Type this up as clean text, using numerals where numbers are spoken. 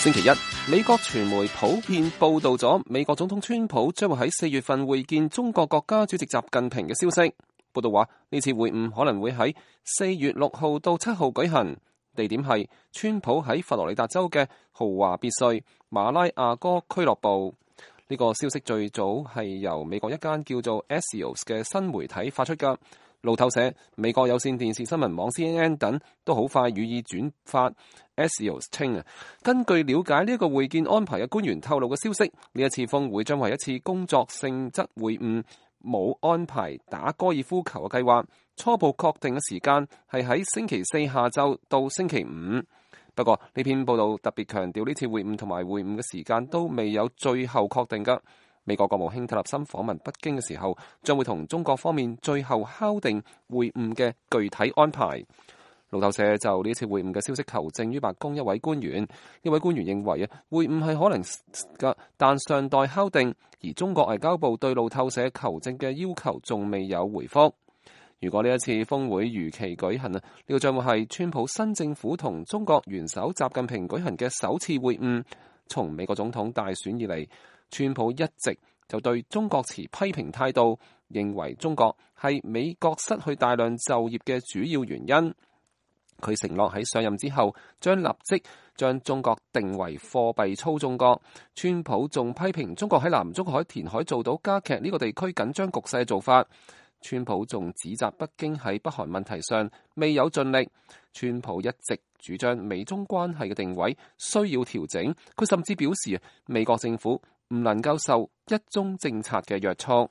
星期一，美國傳媒普遍報道咗美國總統川普將會喺4月份會見中國國家主席習近平嘅消息。報道話呢次會晤可能會喺4月6號到7號舉行，地點係川普喺佛羅里達州嘅豪華別墅馬拉亞哥俱樂部。呢個消息最早係由美國一間叫做 Axios 嘅新媒體發出㗎。路透社、美國有線電視新聞網 CNN 等都好快予以轉發。Axios 稱根據了解呢一個會見安排嘅官員透露嘅消息，呢一次峰會將為一次工作性質會晤，冇安排打高爾夫球嘅計劃。初步確定嘅時間係喺星期4下晝到星期5。不過呢篇報道特別強調呢次會晤同埋會晤嘅時間都未有最後確定㗎。美國國務卿特立森訪問北京嘅時候，將會同中國方面最後敲定會晤嘅具體安排。路透社就呢次會晤嘅消息求證於白宮一位官員，呢位官員認為會晤係可能嘅，但尚待敲定。而中國外交部對路透社求證嘅要求仲未有回覆。如果呢一次峰會如期舉行呢個將會係川普新政府同中國元首習近平舉行嘅首次會晤。從美國總統大選以嚟，川普一直就對中國持批評態度，認為中國係美國失去大量就業嘅主要原因。佢承諾喺上任之後將立即將中國定為貨幣操縱國。川普仲批評中國喺南中海填海做到加劇呢個地區緊張局勢嘅做法。川普仲指責北京喺北韓問題上未有盡力。川普一直主張美中關係嘅定位需要調整。佢甚至表示美國政府唔能夠受一中政策嘅約束。